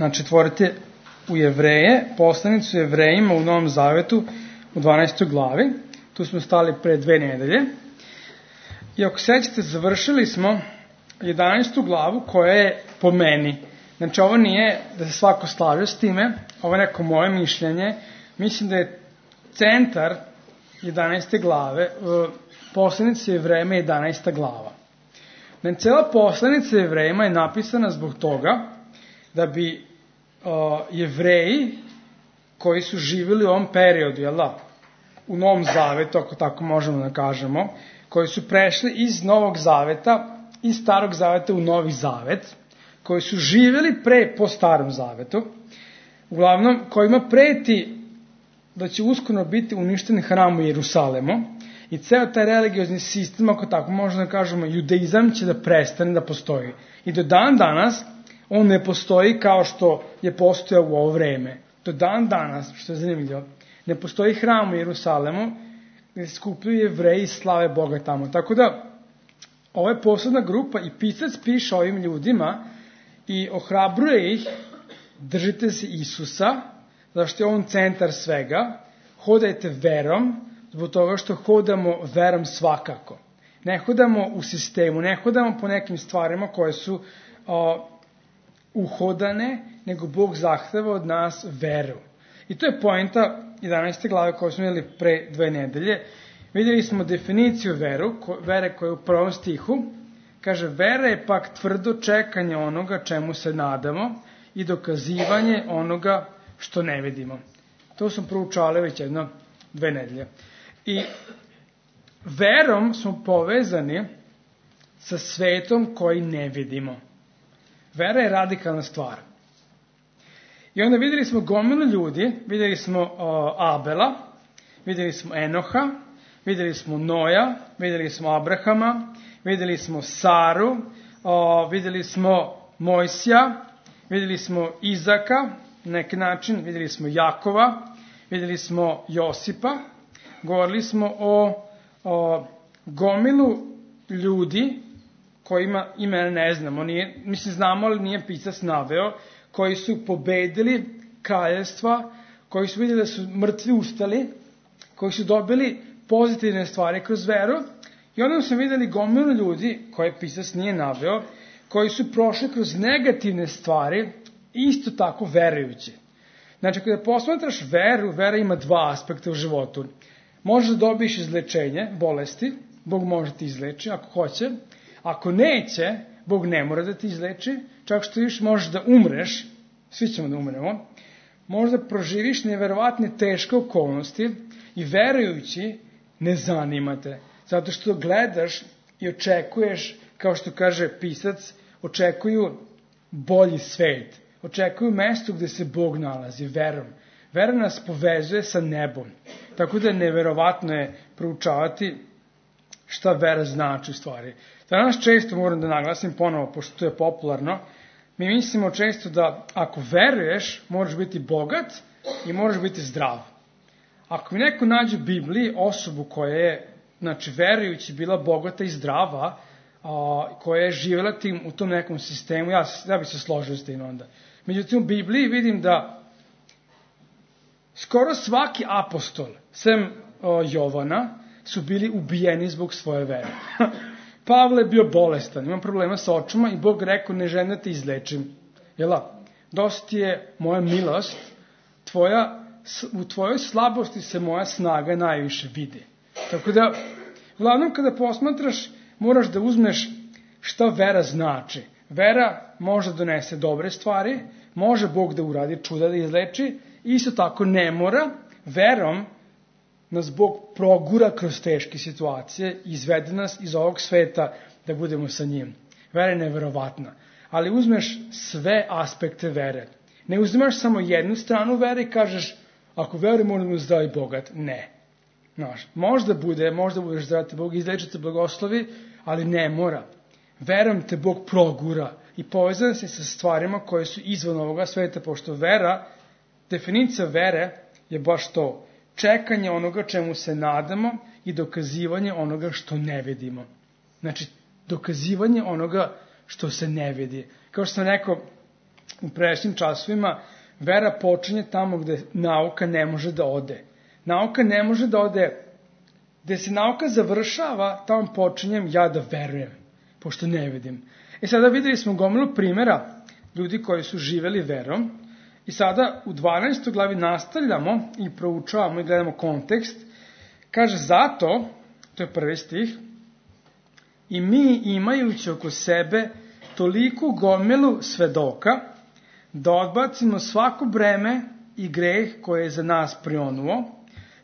Znači, otvorite u Jevreje, poslanicu Jevrejima u Novom Zavetu u 12. glavi. Tu smo stali pre 2 nedelje. I ako sećate, završili smo 11. glavu koja je po meni. Znači, ovo nije da se svako slaže s time, ovo je neko moje mišljenje. Mislim da je centar 11. glave, poslanica Jevrejima 11. glava. Znači, cela poslanica Jevrejima je napisana zbog toga da bi Jevreji koji su živjeli u ovom periodu, jel da, u Novom Zavetu, ako tako možemo da kažemo, koji su prešli iz Novog Zaveta, iz Starog Zaveta u Novi Zavet, koji su živjeli po Starom Zavetu, uglavnom kojima preti da će uskoro biti uništen hram u Jerusalemu i ceo taj religiozni sistem, ako tako možemo da kažemo, judaizam će da prestane da postoji. I do dan danas on ne postoji kao što je postojao u ovo vreme. Do dan danas, što je zanimljivo, ne postoji hram u Jerusalemu gde se skupljaju Jevreji i slave Boga tamo. Tako da, ovo je posebna grupa i pisac piše ovim ljudima i ohrabruje ih, držite se Isusa, zašto je on centar svega, hodajte verom, zbog toga što hodamo verom svakako. Ne hodamo u sistemu, ne hodamo po nekim stvarima koje su uhodane, nego Bog zahteva od nas veru. I to je poenta 11. glave koju smo vidjeli pre 2 nedelje. Vidjeli smo definiciju vere koja je u 1. stihu. Kaže, vera je pak tvrdo čekanje onoga čemu se nadamo i dokazivanje onoga što ne vidimo. To smo proučali već 2 nedelje. I verom smo povezani sa svetom koji ne vidimo. Vera je radikalna stvar. I onda vidjeli smo gomilu ljudi, vidjeli smo Abela, vidjeli smo Enoha, vidjeli smo Noja, vidjeli smo Abrahama, vidjeli smo Saru, vidjeli smo Mojsija, vidjeli smo Izaka, na neki način, vidjeli smo Jakova, vidjeli smo Josipa, govorili smo o gomilu ljudi kojima imena ne znamo, znamo, ali nije pisac naveo, koji su pobedili kraljevstva, koji su vidjeli da su mrtvi ustali, koji su dobili pozitivne stvari kroz veru, i onda smo vidjeli gomilu ljudi, koje pisac nije naveo, koji su prošli kroz negativne stvari, isto tako verujući. Znači, kada posmatraš veru, vera ima 2 aspekta u životu. Možeš da dobiješ izlečenje, bolesti, Bog može ti izleči ako hoće. Ako neće, Bog ne mora da ti izleči, čak što viš možeš da umreš, svi ćemo da umremo, možda proživiš neverovatne teške okolnosti i verujući ne zanimate. Zato što gledaš i očekuješ, kao što kaže pisac, očekuju bolji svet. Očekuju mesto gde se Bog nalazi, verom. Vera nas povezuje sa nebom. Tako da neverovatno je proučavati šta vera znači u stvari. Danas često moram da naglasim ponovo, pošto to je popularno, mi mislimo često da ako veruješ, moraš biti bogat i moraš biti zdrav. Ako mi neko nađe u Bibliji osobu koja je, znači, verujući bila bogata i zdrava, koja je živjela u tom nekom sistemu, ja bi se složio s tim onda. Međutim, u Bibliji vidim da skoro svaki apostol, sem Jovana, su bili ubijeni zbog svoje vere. Pavle je bio bolestan, imam problema sa očima i Bog rekao, ne želim da te izlečim. Jela, dosta ti je moja milost, u tvojoj slabosti se moja snaga najviše vidi. Tako da, uglavnom kada posmatraš, moraš da uzmeš šta vera znači. Vera može donese dobre stvari, može Bog da uradi čuda, da izleči, isto tako ne mora. Verom nas Bog progura kroz teške situacije, izvede nas iz ovog sveta da budemo sa njim. Vera je neverovatna. Ali uzmeš sve aspekte vere. Ne uzimaš samo jednu stranu vere i kažeš, ako verujem, moram da zdrav i bogat. Ne. Možda budeš zdrav te Bog, izleči te blagoslovi, ali ne mora. Verom te Bog progura i povezan se sa stvarima koje su izvan ovoga sveta, pošto vera, definicija vere je baš to. Čekanje onoga čemu se nadamo i dokazivanje onoga što ne vidimo. Znači, dokazivanje onoga što se ne vidi. Kao što sam rekao, u pređašnjim časovima, vera počinje tamo gde nauka ne može da ode. Nauka ne može da ode, gde se nauka završava, tamo počinjem ja da verujem, pošto ne vidim. Sada videli smo gomilu primjera ljudi koji su živeli verom i sada u 12. glavi nastavljamo i proučavamo i gledamo kontekst. Kaže, zato, to je prvi stih, i mi imajući oko sebe toliku gomilu svedoka, da odbacimo svako breme i greh koje je za nas prionuo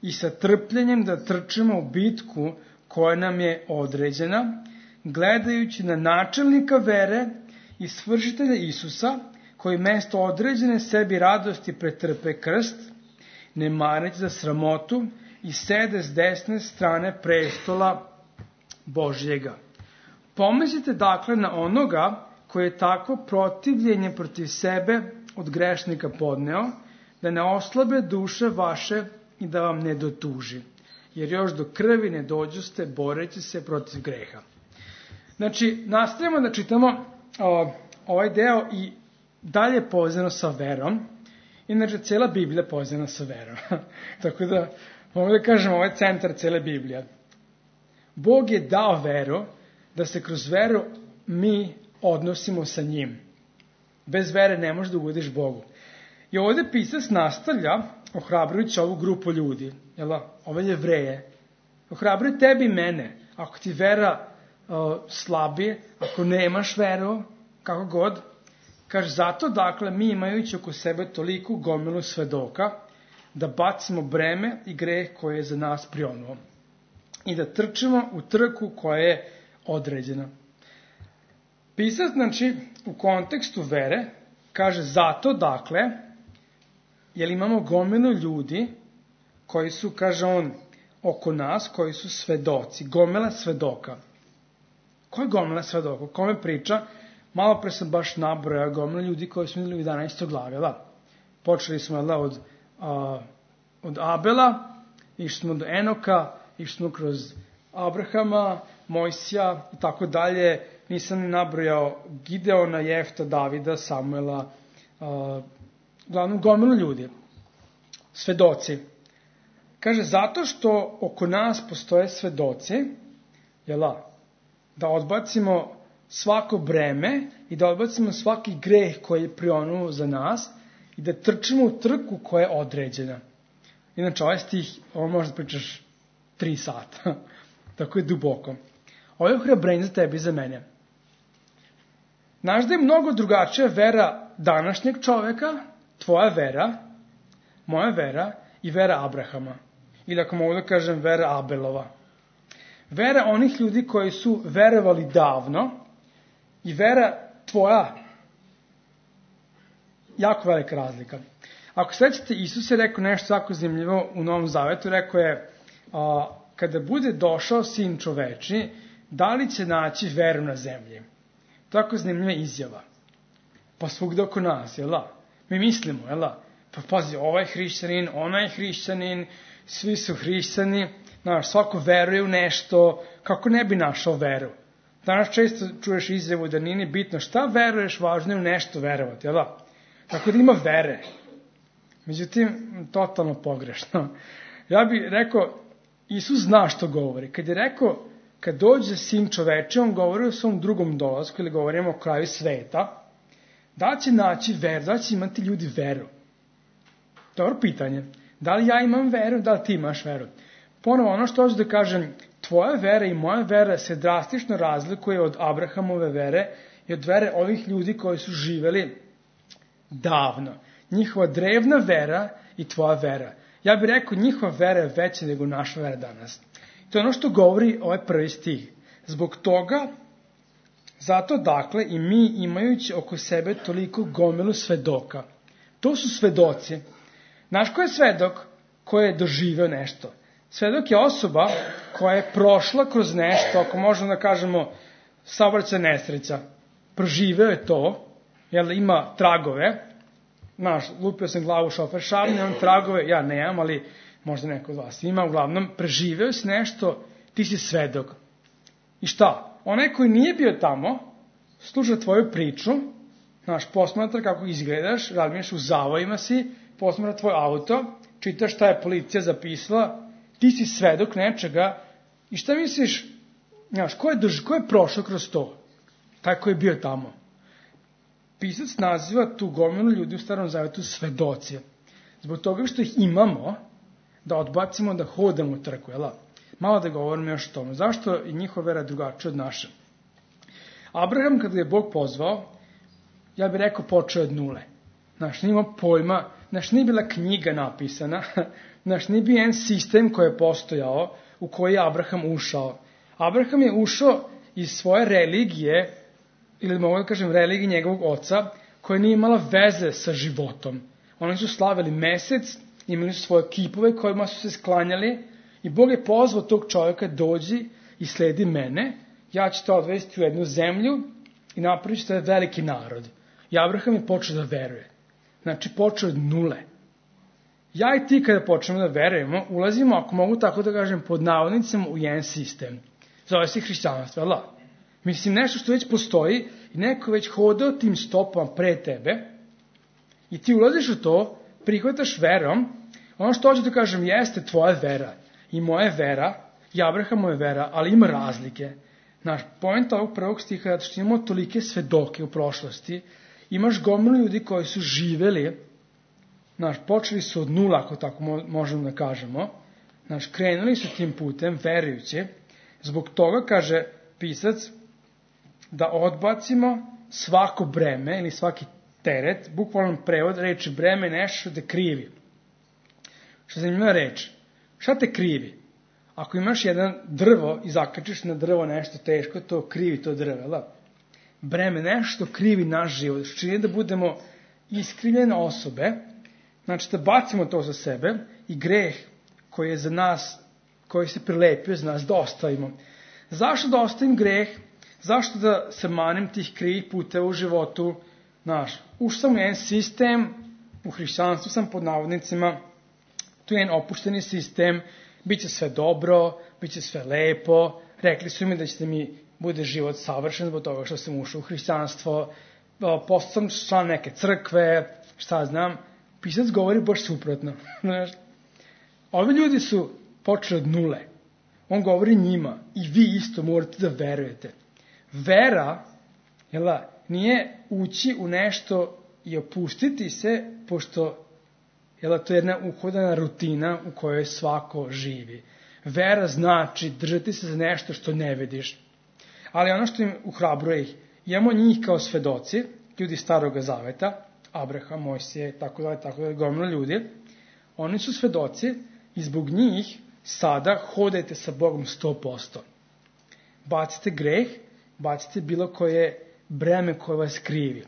i sa trpljenjem da trčimo u bitku koja nam je određena, gledajući na načelnika vere i svršitelja Isusa, koji mesto određene sebi radosti pretrpe krst, ne mareći za sramotu i sede s desne strane prestola Božjega. Pomislite dakle na onoga koji je takvo protivljenje protiv sebe od grešnika podneo, da ne oslabe duše vaše i da vam ne dotuži, jer još do krvi ne dođoste boreći se protiv greha. Znači, nastavljamo da čitamo ovaj deo i dalje povezano sa verom. Inače, cijela Biblija je povezana sa verom. Tako da, mogu da kažem, ovo je centar cijele Biblije. Bog je dao veru, da se kroz veru mi odnosimo sa njim. Bez vere ne možeš da ugodiš Bogu. I ovdje pisac nastavlja, ohrabrujući ovu grupu ljudi, ove Jevreje, ohrabruj tebi i mene, ako ti vera slabije, ako nemaš veru, kako god, kaže, zato dakle mi imajući oko sebe toliku gomilu svedoka, da bacimo breme i greh koje je za nas prionuo i da trčimo u trku koja je određena. Pisac, znači, u kontekstu vere, kaže, zato dakle, jer imamo gomilu ljudi koji su, kaže on, oko nas, koji su svedoci, gomila svedoka. Ko je gomila svedoka? O kome priča? Malo pre sam baš nabrojao gomila ljudi koji smo vidjeli u 11. glavi. Počeli smo od Abela, išli smo do Enoka, išli smo kroz Abrahama, Mojsija i tako dalje. Nisam ni nabrojao Gideona, Jefta, Davida, Samuela, glavnom gomilu ljudi. Svedoci. Kaže, zato što oko nas postoje svedoci, da odbacimo svako breme i da odbacimo svaki greh koji je prionuo za nas i da trčimo u trku koja je određena. Inače, ovaj stih, ovo možda pričaš 3 sata. Tako je duboko. Ovo je ohrabrenje za tebe i za mene. Znaš da je mnogo drugačija vera današnjeg čoveka, tvoja vera, moja vera i vera Abrahama. Ili ako mogu da kažem, vera Abelova. Vera onih ljudi koji su verovali davno i vera tvoja, jako velika razlika. Ako sećate, Isus je rekao nešto jako zanimljivo u Novom Zavetu, rekao je, kada bude došao sin čoveči, da li će naći veru na zemlji? Tako zanimljiva izjava. Pa svugde oko nas, Mi mislimo, Pa pazi, ovaj hrišćanin, onaj hrišćanin, svi su hrišćani, svako veruje u nešto, kako ne bi našao veru? Danas često čuješ izjavu da nije ni bitno šta veruješ, važno je u nešto verovati, Tako da ima vere. Međutim, totalno pogrešno. Ja bih rekao, Isus zna što govori. Kad je rekao, kad dođe sin čoveče, on govori o svom drugom dolasku, ili govorimo o kraju sveta, da će naći veru, da će imati ljudi veru. Dobro pitanje. Da li ja imam veru, da li ti imaš veru? Ponovo, ono što hoću da kažem, tvoja vera i moja vera se drastično razlikuje od Abrahamove vere i od vere ovih ljudi koji su živeli davno. Njihova drevna vera i tvoja vera. Ja bih rekao, njihova vera je veća nego naša vera danas. To je ono što govori ovaj prvi stih. Zbog toga, zato dakle i mi imajući oko sebe toliko gomilu svedoka. To su svedoci. Znaš ko je svedok? Ko je doživeo nešto? Svedok je osoba koja je prošla kroz nešto, ako možemo da kažemo saobraćajna nesreća. Proživeo je to, ima tragove. Lupio sam glavu šofer šavne, on tragove, ja nemam, ali možda neko od vas ima, uglavnom, preživeo si nešto, ti si svedok. I šta? Onaj koji nije bio tamo, sluša tvoju priču, Posmatra kako izgledaš, razmišljaš u zavojima si, posmatra tvoj auto, čitaš šta je policija zapisala, ti si svedok nečega i šta misliš, ko je prošao kroz to? Taj ko je bio tamo. Pisac naziva tu gomilu ljudi u Starom Zavetu svedoci. Zbog toga što ih imamo, da odbacimo da hodamo u trku, jel? Malo da govorimo još o tome. Zašto je njihova vera drugačija od naše? Abraham, kada je Bog pozvao, ja bih rekao, počeo od nule. Nije imao pojma, nije bila knjiga napisana, nije bio jedan sistem koji je postojao, u koji je Abraham ušao. Abraham je ušao iz svoje religije, ili mogu da kažem religije njegovog oca, koja nije imala veze sa životom. Oni su slavili mesec, imali su svoje kipove kojima su se sklanjali i Bog je pozvao tog čovjeka, dođi i sledi mene, ja ću te odvesti u jednu zemlju i napravit ću te veliki narod. I Abraham je počeo da veruje. Počeo od nule. Ja i ti kada počnemo da verujemo, ulazimo, ako mogu tako da kažem, pod navodnicima u jedan sistem. Zove se hrišćanstvo, ali nešto što već postoji i neko već hodao tim stopama pre tebe i ti ulaziš u to, prihvataš verom, ono što hoću da kažem jeste tvoja vera i moja vera i Abrahamova vera, ali ima razlike. Point ovog prvog stiha je što imamo tolike svedoke u prošlosti, imaš gomilu ljudi koji su živeli, počeli su od nula, ako tako možemo da kažemo, krenuli su tim putem, verujući, zbog toga, kaže pisac, da odbacimo svako breme ili svaki teret, bukvalno prevod reči breme, nešto što te krivi. Što zanimljiva reč? Šta te krivi? Ako imaš jedan drvo i zakačiš na drvo nešto teško, to krivi to drvo, breme, nešto krivi naš život, što čini da budemo iskrivljene osobe, da bacimo to za sebe i greh koji je za nas, koji se prilepio za nas, da ostavimo. Zašto da ostavim greh? Zašto da se manem tih krivih puteva u životu? Ušao sam u jedan sistem, u hrišćanstvu sam pod navodnicima, tu je jedan opušteni sistem, bit će sve dobro, bit će sve lepo, rekli su mi da će mi bude život savršen zbog toga što sam ušao u hrišćanstvo, postao sam član neke crkve, šta znam, pisac govori baš suprotno. Ovi ljudi su počeli od nule. On govori njima i vi isto morate da verujete. Vera, nije ući u nešto i opustiti se, pošto to je jedna uhodana rutina u kojoj svako živi. Vera znači držati se za nešto što ne vidiš. Ali ono što im uhrabruje ih, imamo njih kao svedoci, ljudi Starog Zaveta, Abraham, Mojsije, tako da, gomila ljudi, oni su svedoci i zbog njih sada hodajte sa Bogom 100%. Bacite greh, bacite bilo koje breme koje vas krivi.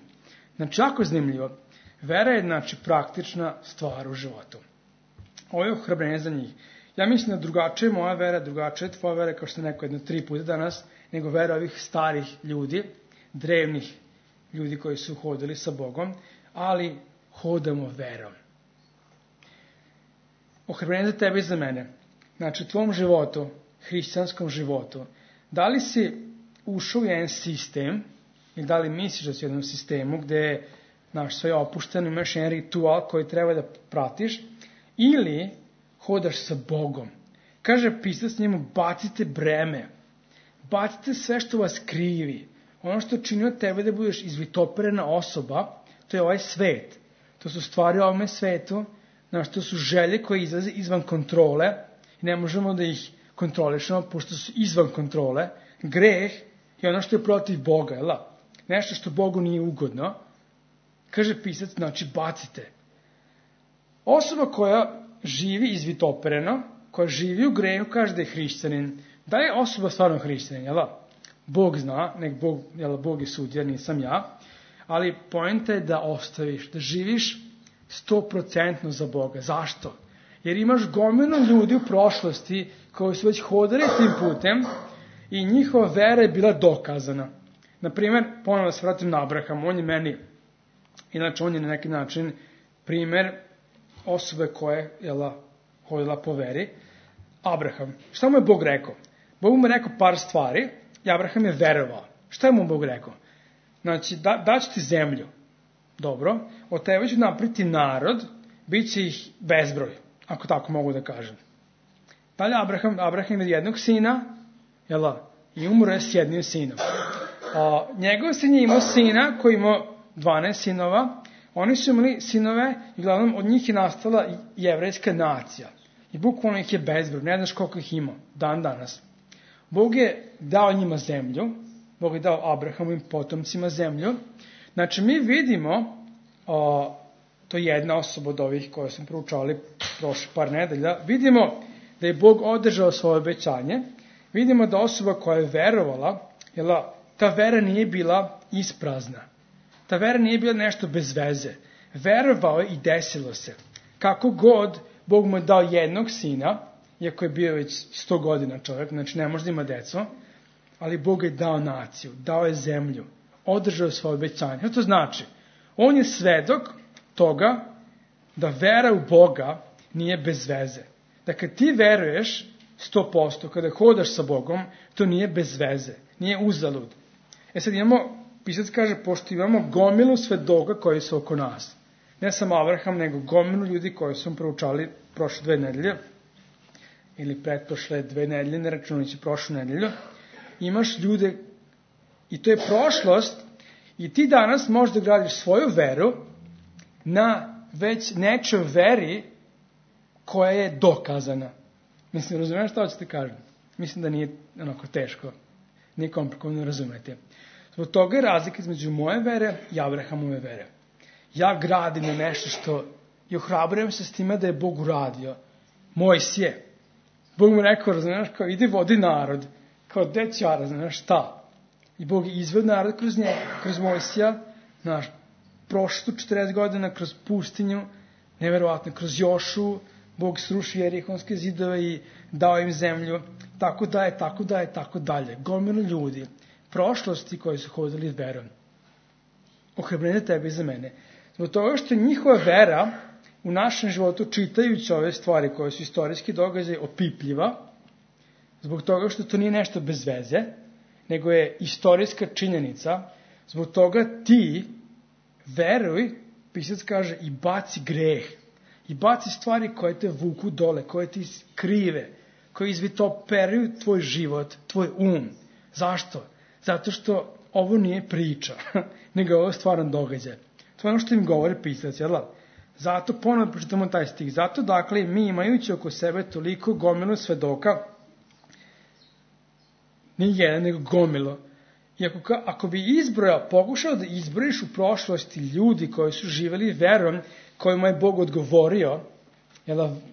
Jako zanimljivo. Vera je, praktična stvar u životu. Ovo je ohrabrenje za njih. Ja mislim da drugačije je moja vera, drugačije je tvoja vera, kao što je neko 3 puta danas, nego vera ovih starih ljudi, drevnih ljudi koji su hodili sa Bogom, ali hodamo verom. Ohrabrenje za tebe i za mene. U tvom životu, hrišćanskom životu, da li si ušao u jedan sistem, i da li misliš da si u jednom sistemu gde je sve opušteno, imaš jedan ritual koji treba da pratiš, ili hodaš sa Bogom. Kaže pisac njemu, bacite breme, bacite sve što vas krivi. Ono što čini od tebe da budeš izvitoperena osoba, to je ovaj svet. To su stvari u ovome svetu, to su želje koje izlaze izvan kontrole i ne možemo da ih kontrolišemo, pošto su izvan kontrole. Greh je ono što je protiv Boga, nešto što Bogu nije ugodno. Kaže pisac, bacite. Osoba koja živi izvitopereno, koja živi u grehu, kaže da je hrišćanin. Da je osoba stvarno hrišćanin, Bog zna, Bog je sudija, nisam ja, ali poenta je da ostaviš, da živiš 100% za Boga. Zašto? Jer imaš gomilu ljudi u prošlosti koji su već hodali tim putem i njihova vera je bila dokazana. Naprimer, ponovno se vratim na Abrahama, on je meni, inače on je na neki način primer osobe koje je hodila po veri. Abraham, šta mu je Bog rekao? Bog mu je rekao par stvari i Abraham je verovao. Šta je mu Bog rekao? Daću ti zemlju. Dobro, od tebe ću napraviti narod, bit će ih bezbroj, ako tako mogu da kažem. Dalje Abraham ima jednog sina, i umro je s jednim sinom. Njegov sin je imao sina koji imao 12 sinova, oni su imali sinove i uglavnom od njih je nastala jevrejska nacija. I bukvalno ih je bezbroj, ne znaš koliko ih ima, dan danas. Bog je dao njima zemlju, Bog je dao Abrahamovim potomcima zemlju. Znači mi vidimo, to je jedna osoba od ovih koje smo proučavali prošle par nedelja, vidimo da je Bog održao svoje obećanje, vidimo da osoba koja je verovala, ta vera nije bila isprazna. Ta vera nije bila nešto bez veze. Verovao je i desilo se. Kako god, Bog mu je dao jednog sina, iako je bio već 100 godina čovjek, znači ne može da ima decu, ali Bog je dao naciju, dao je zemlju, održao svoje obećanje. Što to znači? On je svedok toga da vera u Boga nije bez veze. Da kad ti veruješ 100%, kada hodaš sa Bogom, to nije bez veze, nije uzalud. Sad pisac kaže, pošto imamo gomilu svedoka koji su oko nas. Ne samo Abraham, nego gomilu ljudi koji su proučali prošle 2 nedelje, ili pretprošle 2 nedelje, ne računajući prošlu nedelju. Imaš ljude, i to je prošlost, i ti danas možeš da gradiš svoju veru na već nečoj veri koja je dokazana. Mislim, razumiješ šta hoćete kažem? Mislim da nije onako teško, nije komplikovano razumeti. Zbog toga je razlika između moje vere i Abrahamove vere. Ja gradim na nešto što i ohrabrujem se s time da je Bog uradio. Mojsije. Bog mu rekao, razumiješ, kao idi vodi narod. Kao deća, razumiješ, šta? I Bog je izveo narod kroz njega, kroz Mojsija, prošlo 40 godina kroz pustinju, neverovatno, kroz Jošu, Bog srušio Jerihonske zidove i dao im zemlju, tako dalje. Gomilu ljudi, prošlosti koji su hodili verom. Ohrabrenje tebe i za mene. Zbog toga što njihova vera u našem životu, čitajući ove stvari koje su istorijski događaj, opipljiva, zbog toga što to nije nešto bez veze, nego je istorijska činjenica, zbog toga ti veruj, pisac kaže, i baci greh. I baci stvari koje te vuku dole, koje ti krive, koje izvitoperuju tvoj život, tvoj Zašto? Zato što ovo nije priča, nego ovo je stvaran događaj. To je ono što im govori pisac, jel? Zato ponovno pročitamo taj stih. Zato, dakle, mi imajući oko sebe toliko gomilu svedoka, nije jedan, nego gomilo. I ako bi pokušao da izbrojiš u prošlosti ljudi koji su živjeli verom, kojima je Bog odgovorio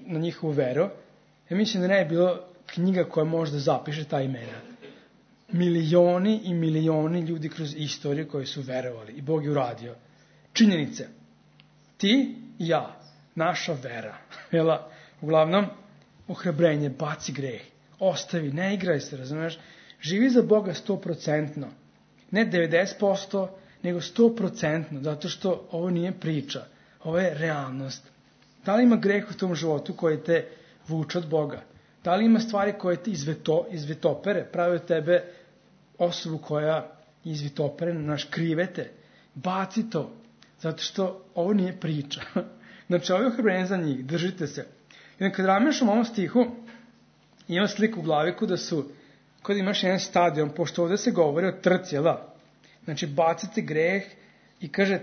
na njihovu veru, ja mislim da ne je bilo knjiga koja može da zapiše ta imena. Milioni i milioni ljudi kroz istoriju koji su verovali i Bog je uradio. Činjenice. Ti i ja, naša vera. Uglavnom, ohrabrenje, baci greh, ostavi, ne igraj se, razumiješ? Živi za Boga 100%. Ne 90%, nego 100%, zato što ovo nije priča. Ovo je realnost. Da li ima greh u tom životu koji te vuče od Boga? Da li ima stvari koje te izvitopere, pravi od tebe osobu koja izvitopere, krivete? Baci to, zato što ovo nije priča. Znači, ovo je ohrabrenje za njih, držite se. I kad razmišljam o ovom stihu, imam sliku u glavi kada imaš jedan stadion, pošto ovdje se govori o trci, Znači, bacite greh i kaže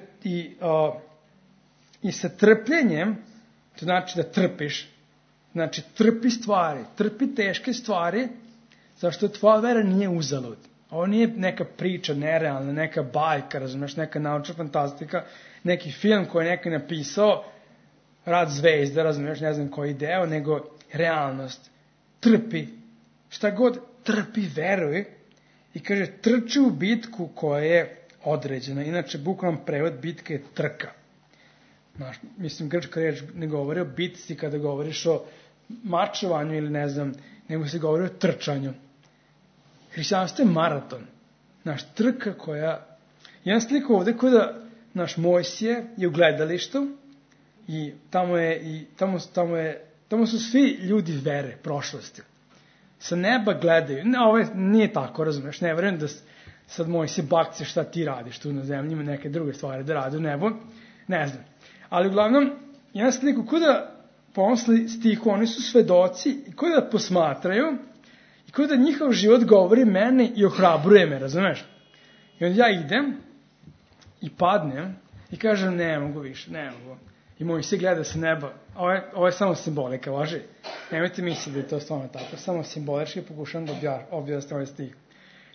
i sa trpljenjem, to znači da trpiš, znači trpi stvari, trpi teške stvari, zašto tvoja vera nije uzalud. Ovo nije neka priča nerealna, neka bajka, razumiješ, neka naučna fantastika, neki film koji je neko napisao, Rad zvezda, razumiješ, ne znam koji deo, nego realnost. Trpi, šta god trpi, veruj, i kaže, trči u bitku koja je određena. Inače, bukvalan prevod bitke je trka. Mislim, grčka reč ne govori o bitci kada govoriš o mačovanju ili ne znam, nego se govori o trčanju. Hrišćanstvo je maraton. Trka koja... Jedan slik ovdje kada Mojsije je u gledalištu i tamo su svi ljudi vere, prošlosti. Sa neba gledaju. Ovo nije tako, razumiješ, ne verujem sad moj se bakce šta ti radiš tu na zemlji, ima neke druge stvari da radi u nebu, ne znam. Ali uglavnom, jedan sliku, ko da pomisli stihu, oni su svedoci i ko da posmatraju i ko da njihov život govori meni i ohrabruje me, razumeš? I onda ja idem i padnem i kažem ne mogu više, ne mogu. I moj se gleda sa neba, ovo je samo simbolika, važi. Nemojte misliti da je to stvarno tako, samo simbolički pokušam da objasnim ovaj stih.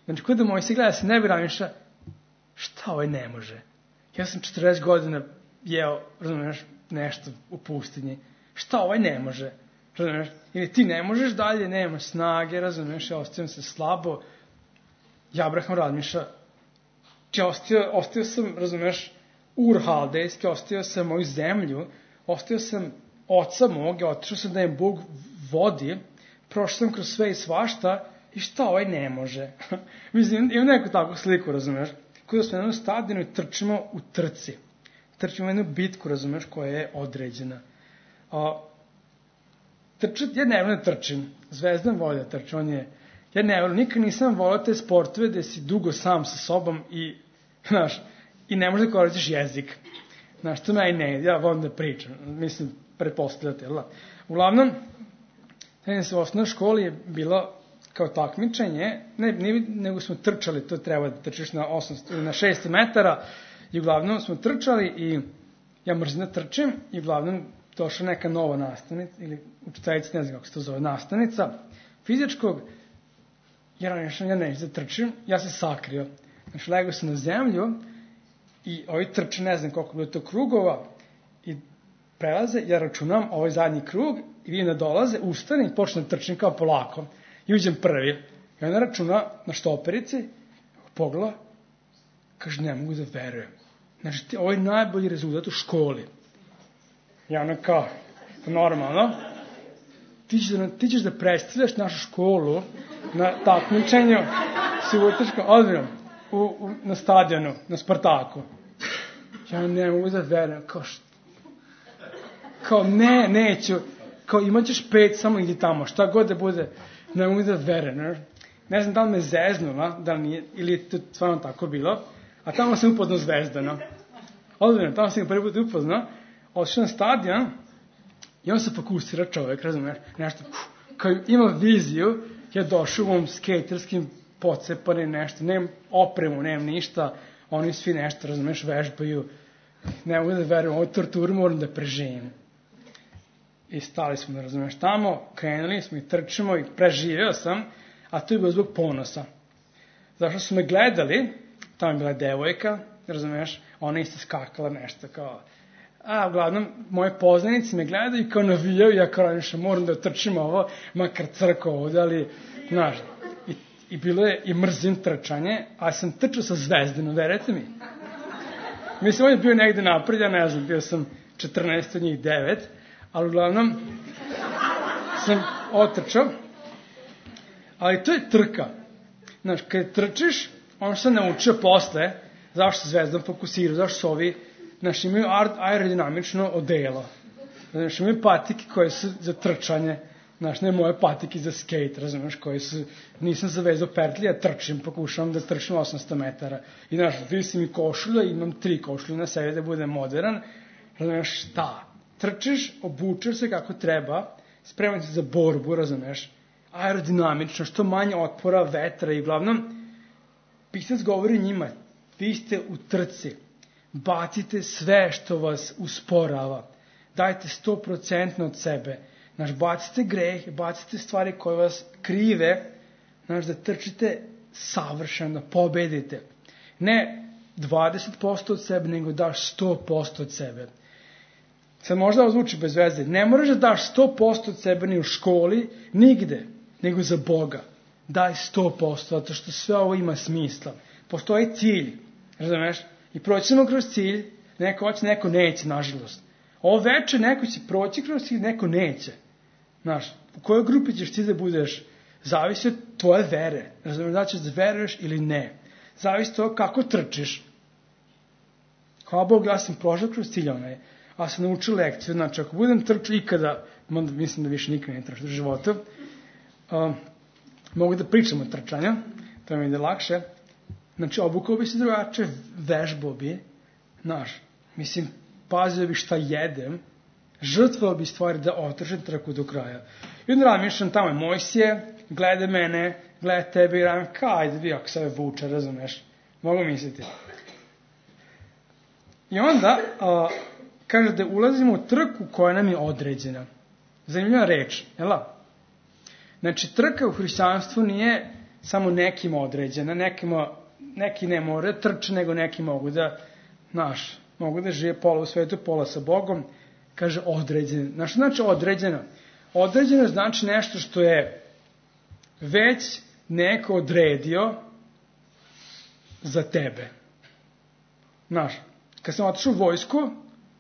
Znači, ko da moj se gleda sa neba i razmišlja, šta ovaj ne može? Ja sam 40 godina jeo, razumiješ, nešto u pustinji. Šta ovaj ne može? Razumiješ? Ili ti ne možeš dalje, nema snage, razumiješ, ja ostavim se slabo. I Abraham razmišlja, ostio sam, razumiješ, Ur Haldejski, ostio sam moju zemlju, ostio sam oca mog, otišao sam da im Bog vodi, prošao sam kroz sve i svašta, i šta ovaj ne može? Mislim, imam neku takvu sliku, razumiješ? Kada smo na jednom stadionu i trčimo u trci. Trčimo u jednu bitku, razumiješ, koja je određena. Ja ne volim da trčim. Zvezdan voli da trčim. Ja ne volim, nikad nisam volio te sportove gde si dugo sam sa sobom i, znaš, i ne možeš da koristiš jezik. Znaš, to meni ne ide, ja volim da pričam. Mislim, pretpostavljate, jel da? Uglavnom, u osnovnoj školi je bilo kao takmičenje, nego smo trčali, to treba da trčiš na 600 metara, i uglavnom smo trčali i ja mrzim da trčim, i uglavnom došla neka nova nastavnica, ili učiteljica, ne znam kako se to zove, nastavnica fizičkog, ja neću da trčim, ja se sakrio. Znači, legao sam na zemlju i ovi trče, ne znam koliko bilo to krugova, i prelaze, ja računam ovaj zadnji krug i vidim da dolaze, ustane i počnem da trčim kao polako. I uđem prvi. I ona računa na štoperici, pogleda, kaže, ne mogu da verujem. Znači, ovo je najbolji rezultat u školi. I ona kao, normalno, ti ćeš da predstavljaš našu školu na takmičenju subotičkom, odmjerom, na stadionu, na Spartaku. Ja ne mogu da verujem, kao neću, kao imaćeš 5, samo idi tamo, šta god da bude, ne mogu da verujem. Ne znam da li me zeznula, da li nije, ili je to stvarno tako bilo, a tamo sam upoznao Zvezdana. Odmjerom, tamo sam ga prvi put upoznao, otišao na stadion i on se fokusira čovjek, razumiješ, nešto, kao ima viziju, ja došao u ovom skaterskim pocepanim nešto, nemam opremu, nemam ništa, oni svi nešto, razumiješ, vežbaju, ne mogu da verujem, ovu torturu moram da preživim. I stali smo, da razumiješ, tamo, krenuli smo i trčimo i preživio sam, a to je bilo zbog ponosa. Zašto su me gledali, tamo je bila devojka, razumiješ, ona isto skakala nešto kao, uglavnom, moje poznanice me gledaju i kao navijaju, ja kao nešto moram da trčim ovo, makar crko ovde, ali, znaš, i bilo je i mrzim trčanje, a sam trčao sa Zvezdanom, verujete mi. Mislim, on je bio negde napred, ja ne znam, bio sam 14 od njih 9, ali uglavnom sam otrčao, ali to je trka. Znaš, kad trčiš, ono što sam naučio posle, zašto se Zvezdan fokusirao, zašto su ovi, znaš, imaju aerodinamično odelo. Znaš, imaju patike koje su za trčanje, znaš, ne moje patike za skate, razumiješ, koje su, nisam zavezao pertlije, ja trčim, pokušavam da trčim 800 metara. I, znaš, visim i košulja, imam 3 košulje na sebi da budem modern, razumiješ, šta? Trčiš, obučeš se kako treba, spreman se za borbu, razumiješ, aerodinamično, što manje otpora, vetra i uglavnom, pisac govori njima, vi ste u trci, bacite sve što vas usporava, dajte 100% od sebe, znaš, bacite greh, bacite stvari koje vas krive, znaš, da trčite savršeno, da pobedite. Ne 20% od sebe, nego daš 100% od sebe. Sad možda ovo zvuči bez veze, ne moraš da daš 100% od sebe ni u školi, nigde, nego za Boga. Daj 100%, zato što sve ovo ima smisla. Postoji cilj, razumeš? I proći ćemo kroz cilj, neko hoće, neko neće, nažalost. Ovo veče neko će proći kroz cilj, neko neće. Znaš, u kojoj grupi ćeš ti da budeš, zavisi od tvoje vere. Razumeš, da ćeš da veruješ ili ne. Zavisi od toga kako trčiš. Hvala Bog, ja sam prošao kroz cilj onaj, a sam naučio lekciju. Znači, ako budem trčao ikada, mislim da više nikada ne trčao u životu, mogu da pričam o trčanju, to mi ide lakše. Znači, obukao bi se drugačije, vežbao bi, mislim, pazio bi šta jedem, žrtvovao bi stvari da otržem trku do kraja. I onda razmišljam, tamo je Mojsije, gleda mene, gleda tebe i radim, ajde vi ako se vuče, razumeš, mogu misliti. I onda, kaže da ulazimo u trku koja nam je određena. Zanimljiva reč, jel'? Znači, trka u hrišćanstvu nije samo nekim određena, neki ne more trče, nego neki mogu da, mogu da žive pola u svetu, pola sa Bogom, kaže određeno. Znači određeno? Određeno znači nešto što je već neko odredio za tebe. Kad sam otišao u vojsku,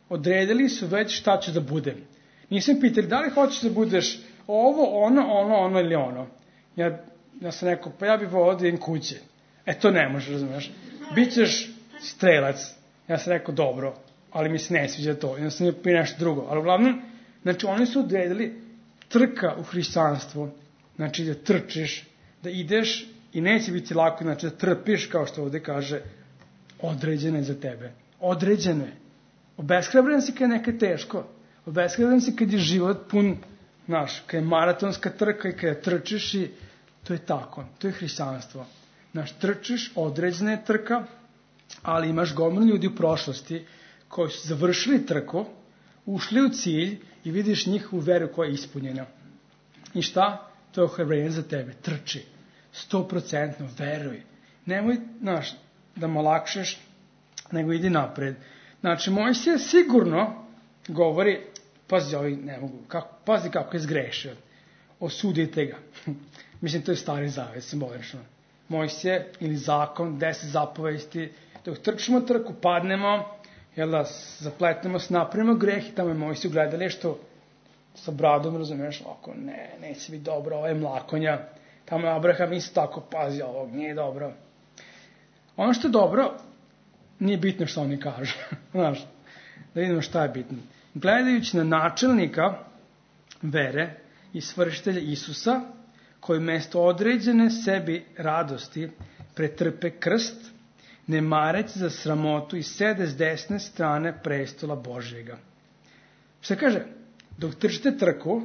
odredili su već šta ću da budem. Nisam pitali da li hoćeš da budeš ovo, ono ili ono. Ja sam rekao, pa ja bih volao da idem kuće. To ne možeš, razumiješ. Bićeš strelac. Ja sam rekao, dobro, ali mi se ne sviđa to. Ja sam nije nešto drugo. Ali uglavnom, znači oni su odredili trka u hrišćanstvu. Znači da trčiš, da ideš i neće biti lako, znači da trpiš, kao što ovde kaže, određeno je za tebe. Određeno je. Obeshrabren si kad je nekaj teško. Obeshrabren si kad je život pun, kad je maratonska trka i kada trčiš i to je tako. To je hrišćanstvo. Trčiš, određena je trka, ali imaš gomilu ljudi u prošlosti koji su završili trku, ušli u cilj i vidiš njihovu veru koja je ispunjena. I šta? To je ohrabrenje za tebe. Trči. 100% veruj. Nemoj, da mu lakšeš, nego idi napred. Znači, Mojsije sigurno govori, pazi, ovi ne mogu, pazi kako je zgrešio. Osudite ga. Mislim, to je Stari Zavet, simbolično. Mojsije ili zakon, 10 zapovesti, dok trčimo trku, padnemo, zapletnemo se, napravimo greh i tamo je Mojsije u gledalištu sa bradom, razumiješ, ovako, neće biti dobro, ovo je mlakonja, tamo je Abraham isto tako, pazi ovog, nije dobro. Ono što je dobro, nije bitno što oni kažu, da vidimo šta je bitno. Gledajući na načelnika vere i svršitelja Isusa, koji mesto određene sebi radosti pretrpe krst, ne mareći za sramotu i sede s desne strane prestola Božjega. Šta kaže? Dok trčite trku,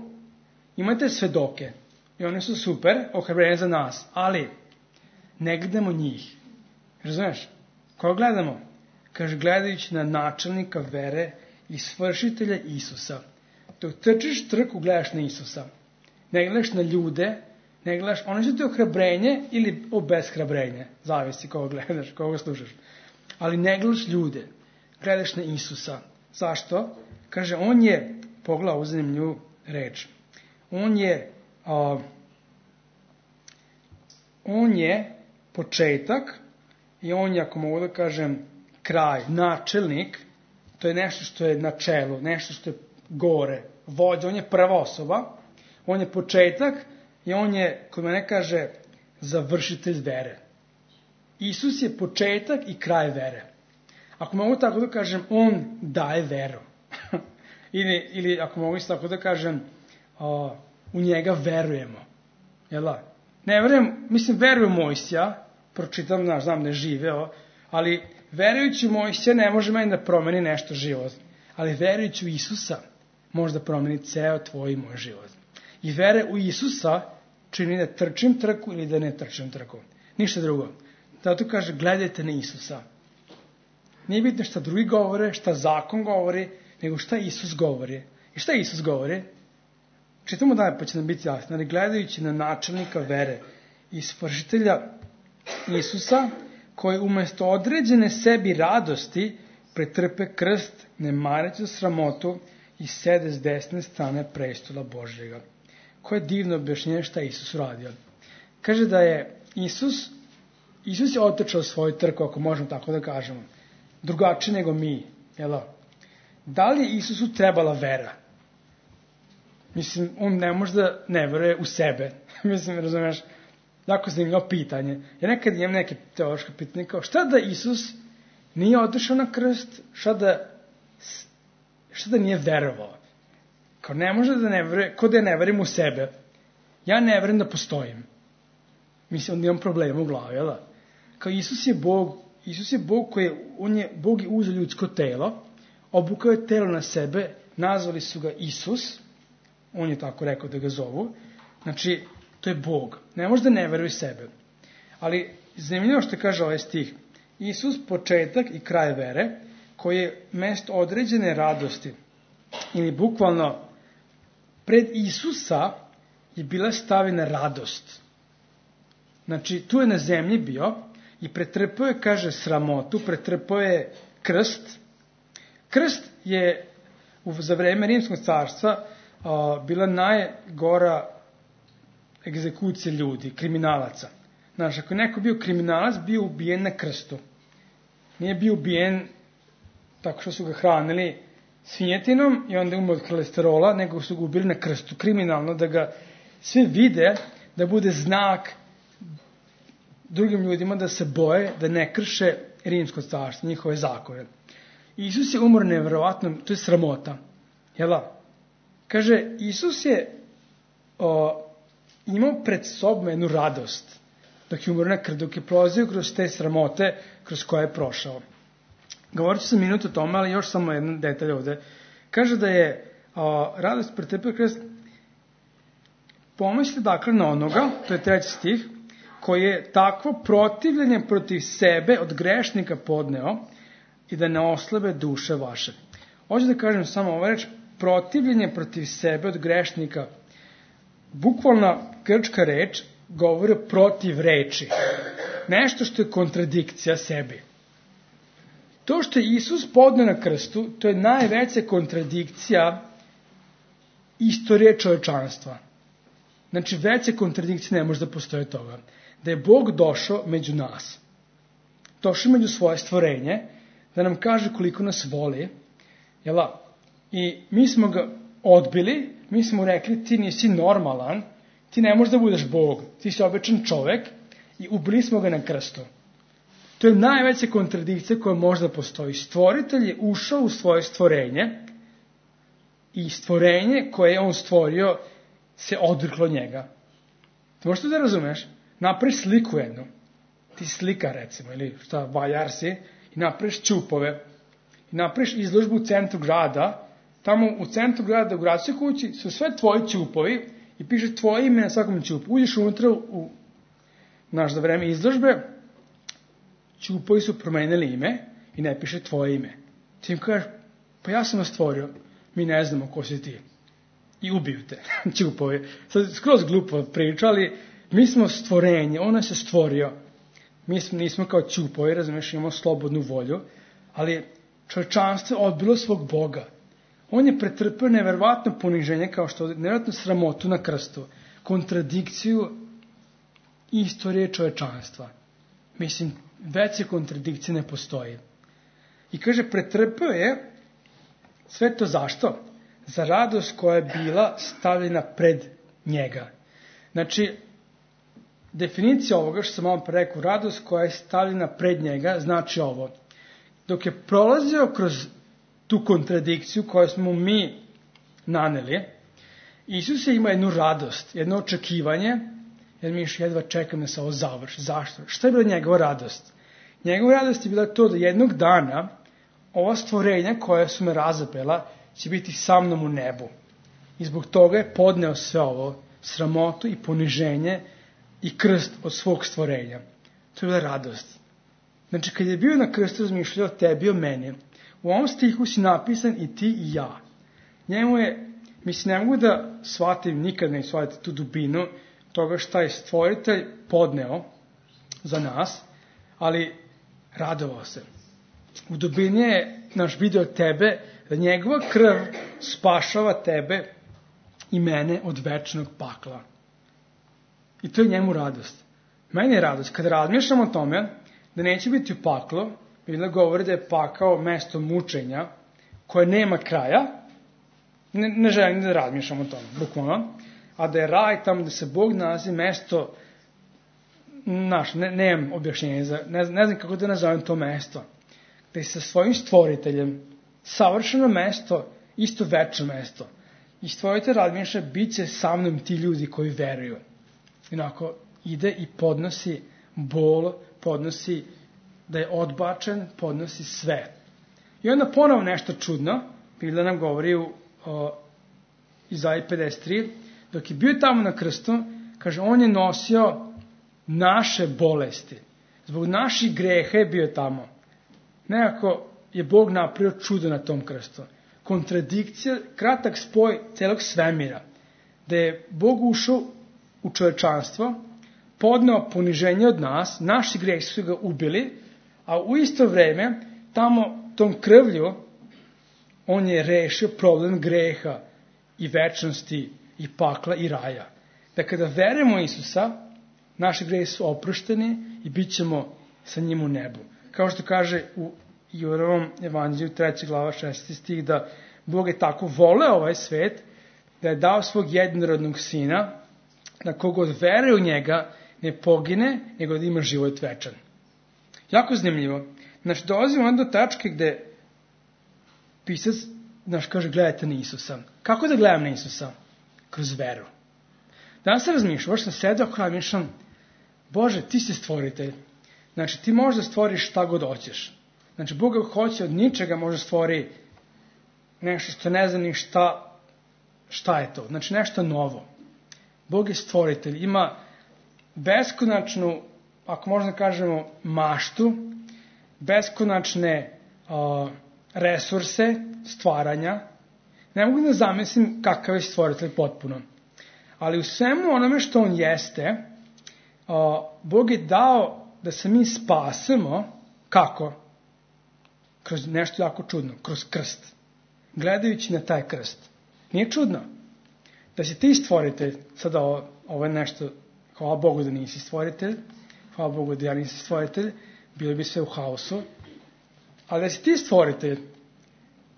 imate svedoke i oni su super, ohrabreni za nas, ali ne gledamo njih. Razumeš? Koga gledamo? Kaže, gledajući na načelnika vere i svršitelja Isusa. Dok trčiš trku, gledaš na Isusa. Ne gledaš na ljude, ne gledaš, oni su ti ohrabrenje ili obeshrabrenje. Zavisi koga gledaš, koga slušaš. Ali ne gledaš ljude, gledaš na Isusa. Zašto? Kaže, on je, pogledaj ovu zanimljivu reč, on je početak i on je, ako mogu da kažem, kraj, načelnik, to je nešto što je na čelu, nešto što je gore, vođa, on je prva osoba, on je početak i on je, kod mene kaže, završitelj vere. Isus je početak i kraj vere. Ako mogu tako da kažem, on daje veru. ili ako mogu isto tako da kažem, u njega verujemo. Ne verujem, verujem Mojsija, pročitam, znam da je živeo, ali verujući u Mojsija ne može meni da promeni nešto život. Ali verujući u Isusa može da promeni ceo tvoj i moj život. I vere u Isusa čini da trčim trku ili da ne trčim trku. Ništa drugo. Zato kaže, gledajte na Isusa. Nije bitno šta drugi govore, šta zakon govori, nego šta Isus govori. I šta Isus govori? Čitamo dalje pa će nam biti jasno. Ali gledajući na načelnika vere i svršitelja Isusa, koji umesto određene sebi radosti pretrpe krst, ne mareći za sramotu i sede s desne strane prestola Božjega. Koje divno objašnjenje šta je Isus uradio. Kaže da je Isus je otrčao svoju trku, ako možemo tako da kažemo, drugačije nego mi. Da li je Isusu trebala vera? On ne može da ne veruje u sebe. Razumiješ, jako zanimljivo pitanje. Ja nekad imam neke teološke pitanje, kao šta da Isus nije otišao na krst, šta da nije verovao? Kao ne može da ne veruje, kao da ne verujem u sebe. Ja ne verujem da postojim. Onda imam problema u glavi, kao Isus je Bog Bog je uzeo ljudsko telo, obukao je telo na sebe, nazvali su ga Isus, on je tako rekao da ga zovu, znači to je Bog, ne može da ne veruje sebe. Ali zanimljivo što kaže ovaj stih, Isus početak i kraj vere, koji je mesto određene radosti, ili bukvalno pred Isusa je bila stavljena radost. Znači, tu je na zemlji bio i pretrpao je, kaže, sramotu, pretrpao je krst. Krst je za vreme Rimskog carstva bila najgora egzekucija ljudi, kriminalaca. Znači, ako je neko bio kriminalac, bio ubijen na krstu. Nije bio ubijen tako što su ga hranili svinjetinom i onda umro od kolesterola, nego su ga ubili na krstu, kriminalno, da ga svi vide, da bude znak drugim ljudima da se boje, da ne krše Rimsko carstvo, njihove zakone. Isus je umro nevjerovatno, to je sramota. Jel' kaže, Isus je imao pred sobom jednu radost, dok je umro na krstu, dok je prolazio kroz te sramote kroz koje je prošao. Govorit ću sam minut o tome, ali još samo jedan detalj ovde. Kaže da je radost pretrpeo krst. Pomislite dakle na onoga, to je 3. stih, koji je takvo protivljenje protiv sebe od grešnika podneo i da ne oslabe duše vaše. Hoću da kažem samo ovo reč, protivljenje protiv sebe od grešnika. Bukvalna grčka reč govori protiv reči. Nešto što je kontradikcija sebi. To što je Isus podneo na krstu, to je najveća kontradikcija istorije čovečanstva. Znači, veće kontradikcije ne može da postoje toga. Da je Bog došao među nas. Došao među svoje stvorenje, da nam kaže koliko nas voli. Jela? I mi smo ga odbili, mi smo rekli, ti nisi normalan, ti ne možeš da budeš Bog, ti si običan čovek i ubili smo ga na krstu. To je najveća kontradikcija koja možda postoji. Stvoritelj je ušao u svoje stvorenje i stvorenje koje je on stvorio se odreklo njega. Ti možeš to da razumeš? Napraviš sliku jednu. Ti slika recimo, ili šta, valjar si, i napraviš ćupove. I napraviš izložbu u centru grada. Tamo u centru grada, u gradskoj kući, su sve tvoji ćupovi i piše tvoje ime na svakom ćupu. Uđeš unutra za vreme izložbe, ćupovi su promenili ime i ne piše tvoje ime. Ti im kažeš, pa ja sam vas stvorio, mi ne znamo ko si ti. I ubiju te, ćupovi. Sad skroz glupo priča, ali mi smo stvorenje, on nas je stvorio. Mi nismo kao ćupovi, razumiješ, imamo slobodnu volju, ali čovječanstvo odbilo svog Boga. On je pretrpio neverovatno poniženje, kao što neverovatno sramotu na krstu, kontradikciju istorije čovječanstva. Mislim, veće kontradikcije ne postoji. I kaže, pretrpio je sve to zašto? Za radost koja je bila stavljena pred njega. Znači, definicija ovoga što sam malo rekao, radost koja je stavljena pred njega, znači ovo. Dok je prolazio kroz tu kontradikciju koju smo mi naneli, Isus je imao jednu radost, jedno očekivanje, jer mi još jedva čekam da se ovo završi. Zašto? Šta je bila njegova radost? Njegova radost je bila to da jednog dana ova stvorenja koja su me razapela će biti sa mnom u nebu. I zbog toga je podneo sve ovo, sramotu i poniženje i krst od svog stvorenja. To je bila radost. Znači, kad je bio na krstu, razmišljao o tebi, o meni. U ovom stihu si napisan i ti i ja. Njemu je, mislim, ne mogu da shvatim, nikad ne shvatim tu dubinu toga šta je stvoritelj podneo za nas, ali radovao se. U dubini je naš video tebe, da njegova krv spašava tebe i mene od večnog pakla. I to je njemu radost. Meni je radost. Kada razmišljam o tome, da neće biti u paklu, Biblia govori da je pakao mesto mučenja, koje nema kraja, ne želim da razmišljam o tome, bukvalno, a da je raj tamo da se Bog nalazi mesto, nemam objašnjenje, ne znam kako da nazovem to mesto, da je sa svojim stvoriteljem savršeno mesto, isto večno mesto. I stvoritelj razmišlja, bit će sa mnom ti ljudi koji veruju. Inako ide i podnosi bol, podnosi da je odbačen, podnosi sve. I onda ponovo nešto čudno, Biblia nam govori u Izaji 53, dok je bio tamo na krstu, kaže, on je nosio naše bolesti. Zbog naših greha je bio tamo. Nekako je Bog napravio čudo na tom krstu. Kontradikcija, kratak spoj celog svemira, da je Bog ušao u čovečanstvo, podneo poniženje od nas, naši grehi su ga ubili, a u isto vreme, tamo, tom krvlju, on je rešio problem greha i večnosti i pakla i raja. Da kada verujemo Isusa, naši grehi su oprošteni i bit ćemo sa njim u nebu. Kao što kaže u Juravom evanđelju 3. glava 6. stih, da Bog je tako voleo ovaj svet, da je dao svog jednorodnog sina, da kogod veruje u njega ne pogine, nego da ima život večan. Jako zanimljivo. Znači, dolazimo do tačke gde pisac, kaže, gledajte na Isusa. Kako da gledam na Isusa? Kroz veru. Danas se razmišljam, baš sam sedao kada mišljam, Bože, ti si stvoritelj. Znači, ti možeš da stvoriš šta god hoćeš. Znači, Bog hoće od ničega može stvori nešto što ne zna ni šta je to. Znači, nešto novo. Bog je stvoritelj. Ima beskonačnu, ako možda kažemo, maštu, beskonačne resurse stvaranja. Ne mogu da zamislim kakav je stvoritelj potpuno. Ali u svemu onome što on jeste, Bog je dao da se mi spasemo. Kako? Kroz nešto jako čudno. Kroz krst. Gledajući na taj krst. Nije čudno da si ti stvoritelj. Sada ovo je nešto, hvala Bogu da nisi stvoritelj, hvala Bogu da ja nisam stvoritelj, bilo bi sve u haosu, ali da si ti stvoritelj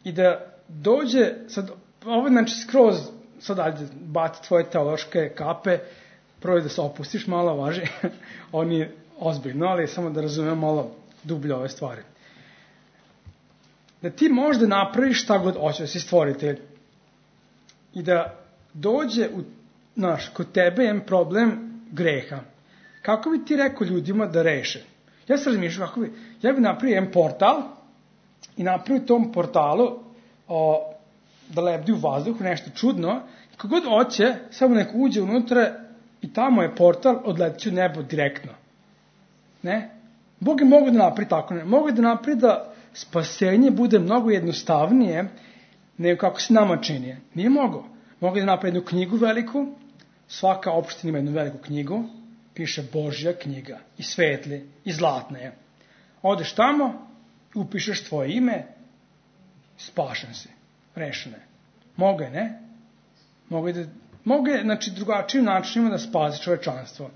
i da dođe, sad, ovo znači skroz, sad ajde, bati tvoje teološke kape, prvo da se opustiš malo, važi, on je ozbiljno, ali samo da razumem malo dublje ove stvari. Da ti možda napraviš šta god hoćeš, da si stvoritelj i da dođe kod tebe je problem greha. Kako bi ti rekao ljudima da reše? Ja se razmišljam, ja bi napravio jedan portal i napravio tom portalu da lebdi u vazduhu, nešto čudno, i kogod hoće, samo neko uđe unutra i tamo je portal, odleti u nebo direktno. Ne? Bog je mogu da napravi tako, ne? Mogu da napravi da spasenje bude mnogo jednostavnije nego kako se nama čini. Nije mogo. Mogu da napravi jednu knjigu veliku, svaka opština ima jednu veliku knjigu, piše Božja knjiga, i svetli, i zlatna je. Odeš tamo, upišeš tvoje ime, spašen si, rešen je. Mogu je, ne? Mogu je, znači, drugačijim načinima da spasi čovečanstvo.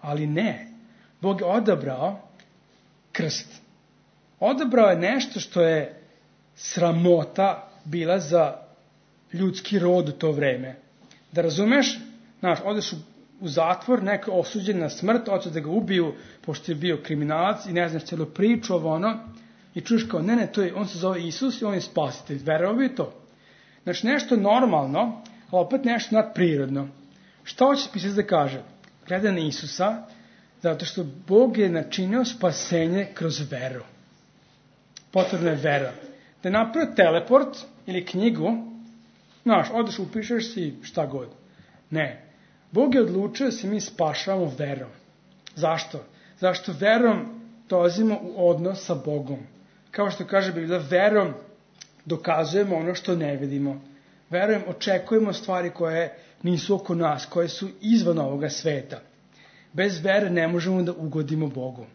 Ali ne. Bog je odabrao krst. Odabrao je nešto što je sramota bila za ljudski rod u to vreme. Da razumeš, odeš u zatvor, neko osuđen na smrt, hoće da ga ubiju, pošto je bio kriminalac i ne znaš celu priču, i čuješ kao, ne, on se zove Isus i on je spasitelj. Verovao bi to. Znači, nešto normalno, ali opet nešto nadprirodno. Šta hoće pisac da kaže? Gleda na Isusa, zato što Bog je načinio spasenje kroz veru. Potrebna je vera. Da je napravio teleport ili knjigu, odeš, upišeš si šta god. Ne. Bog je odlučio da se mi spašavamo verom. Zašto? Zašto verom dolazimo u odnos sa Bogom. Kao što kaže Biblia, verom dokazujemo ono što ne vidimo. Verujem, očekujemo stvari koje nisu oko nas, koje su izvan ovoga sveta. Bez vere ne možemo da ugodimo Bogu.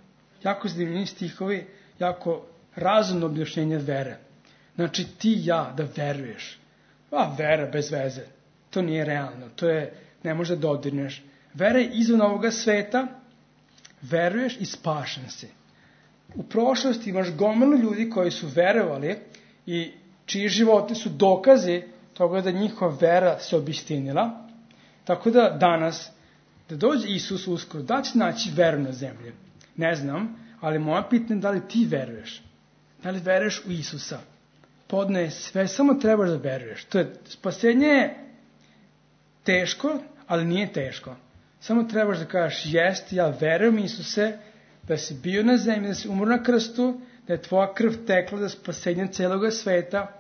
Jako zanimljivi stihovi, jako razumno objašnjenje vere. Znači, ti i ja da veruješ. Vera bez veze. To nije realno. To je, ne može da dodirneš. Vera je izvan ovoga sveta, veruješ i spašen si. U prošlosti imaš gomilu ljudi koji su verovali i čiji životi su dokazi toga da njihova vera se obistinila. Tako da danas, da dođe Isus uskoro, da će naći veru na zemlji. Ne znam, ali moja pitanje je da li ti veruješ. Da li veruješ u Isusa? Podne sve, samo trebaš da veruješ. To je, spasenje je teško, ali nije teško. Samo trebaš da kažeš, jest, ja verujem Isuse, da si bio na zemlji, da si umro na krstu, da je tvoja krv tekla za spasenje celoga sveta.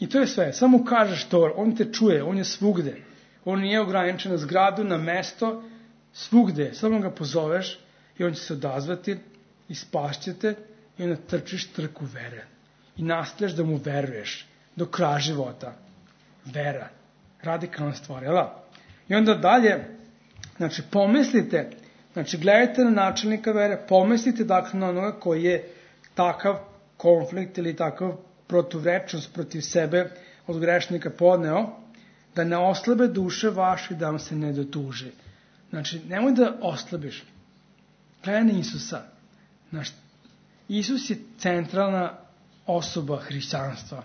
I to je sve. Samo kažeš to, on te čuje, on je svugde. On nije ograničen na zgradu, na mesto, svugde. Samo ga pozoveš i on će se odazvati i spašćete i onda trčiš trku vere. I nastavljaš da mu veruješ do kraja života. Vera. Radikalna stvar, jel da? I onda dalje, znači, pomislite, znači, gledajte na načelnika vere, pomislite, dakle, na onoga koji je takav konflikt ili takav protuvrečnost protiv sebe od grešnika podneo, da ne oslabe duše vaše i da vam se ne dotuži. Znači, nemoj da oslabiš. Gledaj na Isusa. Znači, Isus je centralna osoba hrišćanstva.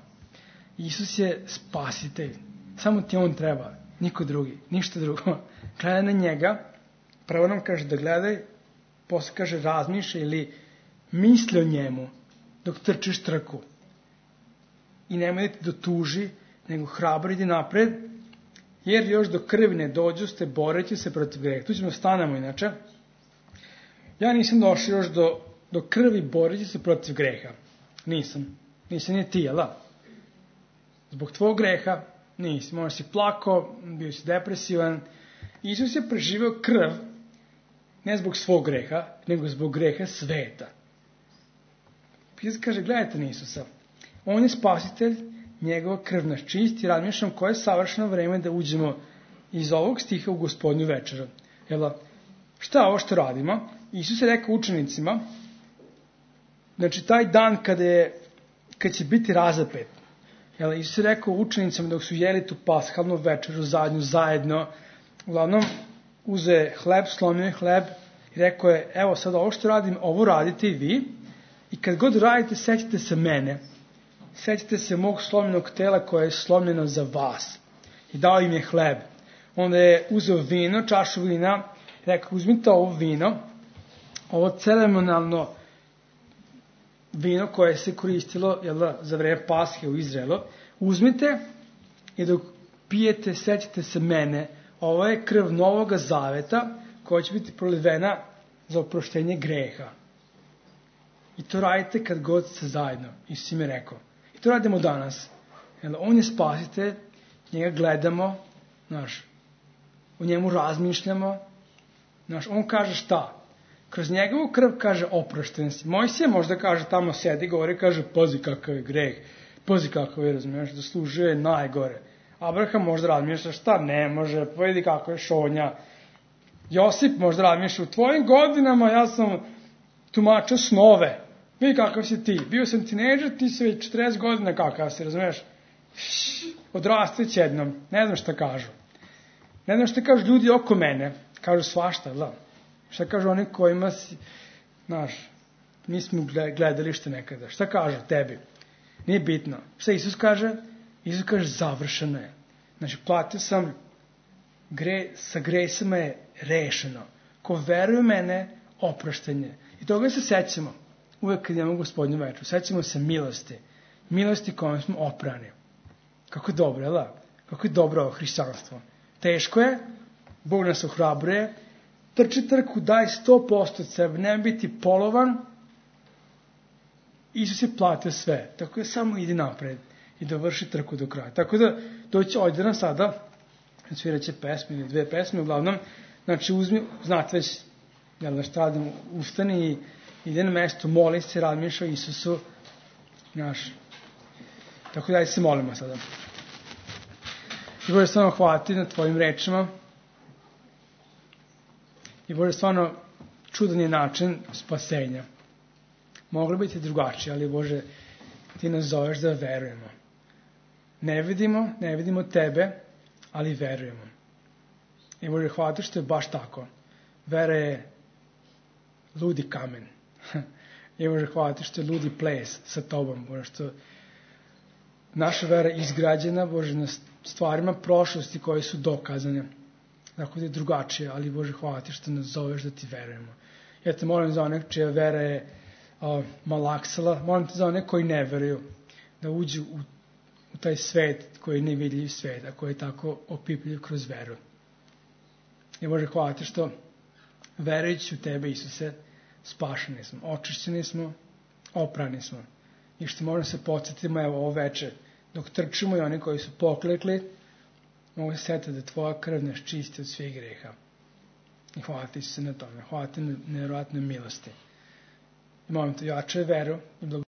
Isus je spasitelj. Samo ti on treba. Niko drugi. Ništa drugo. Gledaj na njega. Prvo nam kaže da gledaj, posle kaže razmišljaj ili misli o njemu dok trčiš trku. I nemoj da ti dotuži, nego hrabro idi napred, jer još do krvi ne dođu ste boreći se protiv greha. Tu ćemo stanemo inače. Ja nisam došao još do krvi boreći se protiv greha. Nisam ni ti, jel da? Zbog tvojeg greha nisi. Možda si plakao, bio si depresivan. Isus je preživeo krv, ne zbog svog greha, nego zbog greha sveta. Pisac kaže, gledajte na Isusa. On je spasitelj, njegova krv nas čisti, razmišljam koje je savršeno vreme da uđemo iz ovog stiha u Gospodnju večeru. Jel, šta je ovo što radimo? Isus je rekao učenicima, znači taj dan kad će biti razapet. Jel, Isus je rekao učenicima dok su jeli tu paskalnu večeru zajedno, uglavnom uze hleb, slomio je hleb i rekao je, evo sad ovo što radim, ovo radite i vi i kad god radite, sećate se mene. Sećate se mog slomljenog tela koje je slomljeno za vas. I dao im je hleb. Onda je uzeo vino, čašu vina, i rekao, uzmite ovo vino, ovo ceremonalno vino koje se koristilo za vreme Pashe u Izraelu, uzmite i dok pijete, sećate se mene, ovo je krv Novoga Zaveta koja će biti prolivena za oproštenje greha. I to radite kad god ste zajedno. Isus im je rekao. I to radimo danas. On je spasitelj, njega gledamo, o njemu razmišljamo. On kaže šta? Kroz njegovu krv kaže oprošten si. Mojsije možda kaže tamo sedi, govori, kaže pazi kakav je greh, pazi kakav je, razumiješ, zaslužuje najgore. Abraham možda razmišlja šta ne može, pa vidi kako je šonja. Josip možda razmišlja u tvojim godinama ja sam tumačio snove. Vidi kakav si ti. Bio sam tinejdžer, ti si već 40 godina kakav si, razumiješ? Odrasteć jednom. Ne znam šta kažu. Ne znam šta kažu ljudi oko mene. Kažu svašta, da. Šta kažu oni kojima si, mi smo gledalište nekada. Šta kažu tebi? Nije bitno. Šta Isus kaže? Isus kaže završeno je. Znači, platio sam, sa gresama je rešeno. Ko veruje u mene, oproštenje. I toga se sećamo. Uvek kad imamo Gospodnju večeru. Sećamo se milosti. Milosti kojom smo oprani. Kako je dobro, jel da? Kako je dobro ovo hrišćanstvo. Teško je, Bog nas ohrabruje, trči trku, daj 100% od sebe, nema biti polovan. Isus je platio sve, tako da samo idi napred i dovrši trku do kraja. Tako da doći ovdje nam sada, sviraće pesme ili 2 pesme, uglavnom, znači uzmi, znate već, jel da šta radim, ustani i ide na mesto, moli se, razmišlja o Isusu, tako da se molimo sada. I Bože stvarno hvaliti na tvojim rečima. I Bože stvarno čudan je način spasenja. Moglo biti drugačije, ali Bože ti nas zoveš da verujemo. Ne vidimo tebe, ali verujemo. I Bože hvala što je baš tako. Vera je ludi kamen. I Bože hvala što je ludi ples sa tobom. Bože što naša vera je izgrađena, Bože, na stvarima prošlosti koje su dokazane. Tako da je drugačije, ali Bože hvala ti što nas zoveš da ti verujemo. Ja te molim za one čija vera je malaksala, molim te za one koji ne veruju, da uđu u taj svet koji je nevidljiv svet, a koji je tako opipljiv kroz veru. I Bože hvala ti što verujući u tebe, Isuse, spašeni smo, očišćeni smo, oprani smo. I što možemo se podsjetimo, evo ovo veče, dok trčimo i oni koji su poklekli, mogu se setiti da tvoja krv nas čisti od svih greha. I hvala ti se na tome, hvala ti na nevjerovatnoj milosti. I molim te, jačaj veru i